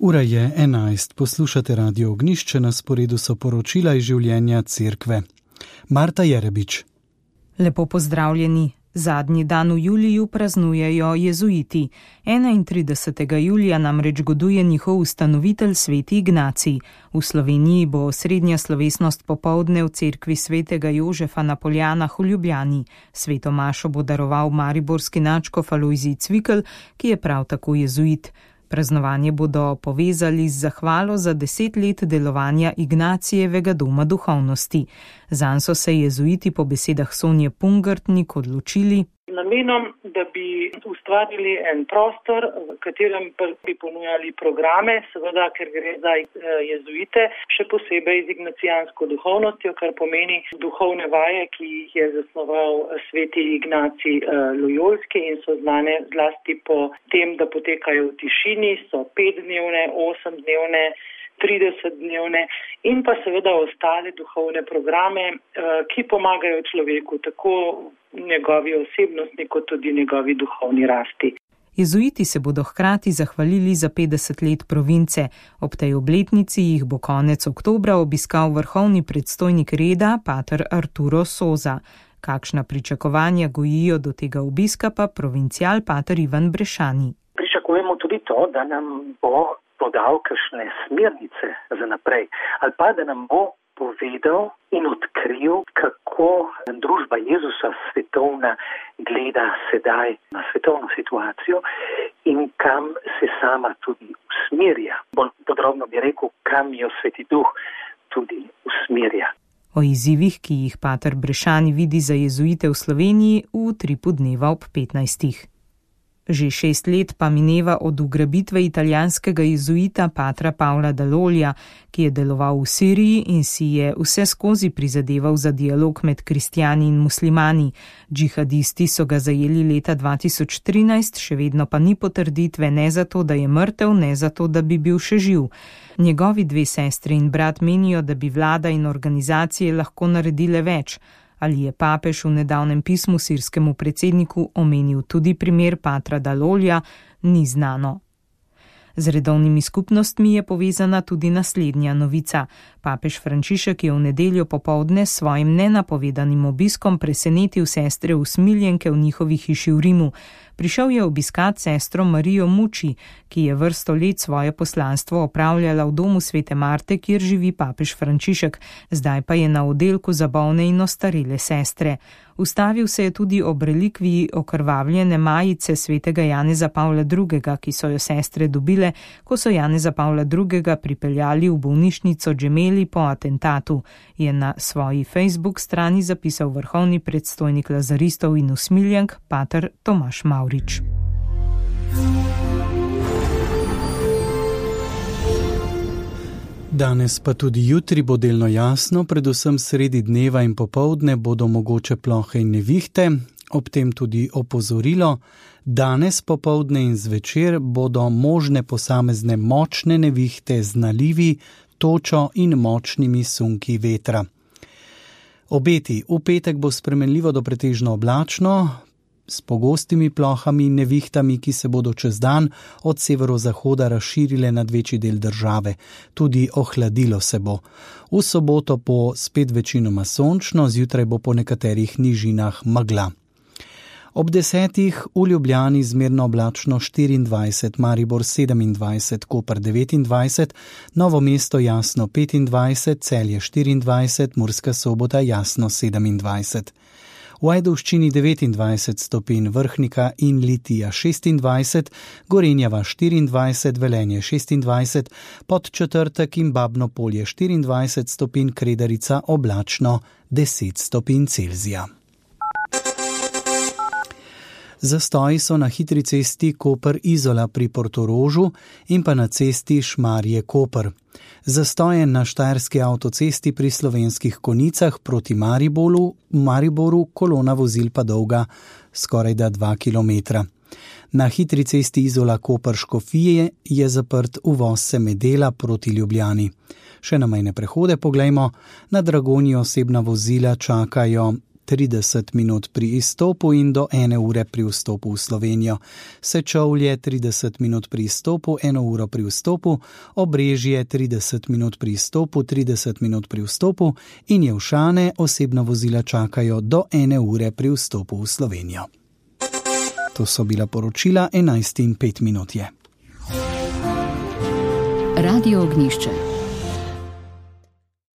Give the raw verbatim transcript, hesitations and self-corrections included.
Ura je enajst, poslušate Radio Ognjišče, na sporedu so poročila iz življenja cerkve. Marta Jerebič. Lepo pozdravljeni. Zadnji dan v juliju praznujejo jezuiti. enaintridesetega julija namreč goduje njihov ustanovitelj sveti Ignacij. V Sloveniji bo osrednja slovesnost popoldne v cerkvi svetega Jožefa na Poljanah v Ljubljani. Sveto mašo bo daroval mariborski nadškof Alojzij Cvikl, ki je prav tako jezuit. Praznovanje bodo povezali z zahvalo za deset let delovanja Ignacijevega doma duhovnosti. Zanj so se jezuiti po besedah Sonje Pungartnik odločili namenom, da bi ustvarili en prostor, v katerem bi ponujali programe, seveda, ker gre za jezuite, še posebej z ignacijansko duhovnostjo, kar pomeni duhovne vaje, ki jih je zasnoval sveti Ignacij Lojolski in so znane zlasti po tem, da potekajo v tišini, so petdnevne, osemdnevne, tridesetdnevne in pa seveda ostale duhovne programe, ki pomagajo človeku tako njegovi osebnostni kot tudi njegovi duhovni rasti. Jezuiti se bodo hkrati zahvalili za petdeset let province. Ob tej obletnici jih bo konec oktobra obiskal vrhovni predstojnik reda, pater Arturo Soza. Kakšna pričakovanja gojijo do tega obiska, pa provincial pater Ivan Brešani. Pričakujemo tudi to, da nam bo podal kakšne smernice za naprej, ali pa da nam bo povedal in odkril, kako družba Jezusa svetovna gleda sedaj na svetovno situacijo in kam se sama tudi usmerja. Bolj podrobno bi rekel, kam jo Sveti Duh tudi usmerja. O izzivih, ki jih pater Brešani vidi za jezuite v Sloveniji, v utripu dneva ob petnajstih. Že šest let pa mineva od ugrabitve italijanskega jezuita patra Pavla Dalolja, ki je deloval v Siriji in si je vse skozi prizadeval za dialog med kristjani in muslimani. Džihadisti so ga zajeli leta dva tisoč trinajst, še vedno pa ni potrditve ne zato, da je mrtev, ne zato, da bi bil še živ. Njegovi dve sestri in brat menijo, da bi vlada in organizacije lahko naredile več. Ali je papež v nedavnem pismu sirskemu predsedniku omenil tudi primer patra Dalolja, ni znano. Z redovnimi skupnostmi je povezana tudi naslednja novica. Papež Frančišek je v nedeljo popoldne s svojim nenapovedanim obiskom presenetil sestre usmiljenke v njihovi hiši v Rimu. Prišel je obiskat sestro Marijo Muči, ki je vrsto let svoje poslanstvo opravljala v domu svete Marte, kjer živi papež Frančišek, zdaj pa je na oddelku za bolne in ostarele sestre. Ustavil se je tudi ob relikviji okrvavljene majice svetega Janeza Pavla drugega, ki so jo sestre dobile, ko so Janeza Pavla drugega pripeljali v bolnišnico Džemeli po atentatu, je na svoji Facebook strani zapisal vrhovni predstojnik lazaristov in usmiljenk pater Tomaž Mavrič. Danes pa tudi jutri bo delno jasno, predvsem sredi dneva in popoldne bodo mogoče plohe in nevihte, ob tem tudi opozorilo. Danes popoldne in zvečer bodo možne posamezne močne nevihte z nalivi, točo in močnimi sunki vetra. Obeti: v petek bo spremenljivo do pretežno oblačno, s pogostimi plohami in nevihtami, ki se bodo čez dan od severozahoda razširile nad večji del države. Tudi ohladilo se bo. V soboto bo spet večinoma sončno, zjutraj bo po nekaterih nižinah megla. Ob desetih v Ljubljani zmerno oblačno štiriindvajset, Maribor sedemindvajset, Koper devetindvajset, Novo mesto jasno petindvajset, Celje štiriindvajset, Murska Sobota jasno sedemindvajset. V Ajdovščini devetindvajset stopinj, Vrhnika in Litija šestindvajset, Gorenjeva štiriindvajset, Velenje šestindvajset, Podčetrtek in Babno Polje štiriindvajset stopinj, Kredarica oblačno deset stopinj Celzija. Zastoji so na hitri cesti Koper-Izola pri Portorožu in pa na cesti Šmarje-Koper. Zastoje na štajerski avtocesti pri Slovenskih Konicah proti Mariboru, Mariboru kolona vozil pa dolga skorajda dva kilometra. Na hitri cesti Izola-Koper-Škofije je zaprt uvoz Semedela proti Ljubljani. Še na mejne prehode poglejmo, na Dragonji osebna vozila čakajo trideset minut pri izstopu in do ene ure pri vstopu v Slovenijo. Sečovlje trideset minut pri izstopu, eno uro pri vstopu, Obrežje trideset minut pri izstopu, trideset minut pri vstopu in Jelšane osebna vozila čakajo do ene ure pri vstopu v Slovenijo. To so bila poročila, enajst in pet minut je. Radio Ognjišče.